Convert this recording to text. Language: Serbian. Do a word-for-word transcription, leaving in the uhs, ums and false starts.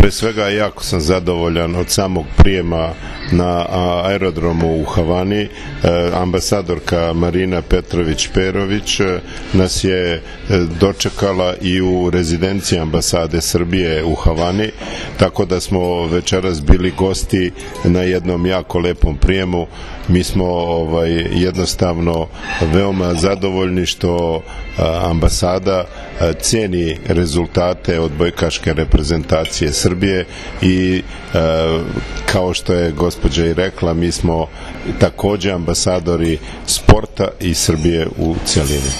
Pre svega, jako sam zadovoljan od samog prijema na aerodromu u Havani. Ambasadorka Marina Petrović-Perović nas je dočekala i u rezidenciji ambasade Srbije u Havani, tako da smo večeras bili gosti na jednom jako lepom prijemu. Mi smo ovaj, jednostavno veoma zadovoljni što ambasada ceni rezultate odbojkaške reprezentacije Srbije i kao što je gospođa i rekla, mi smo takođe ambasadori sporta i Srbije u celini.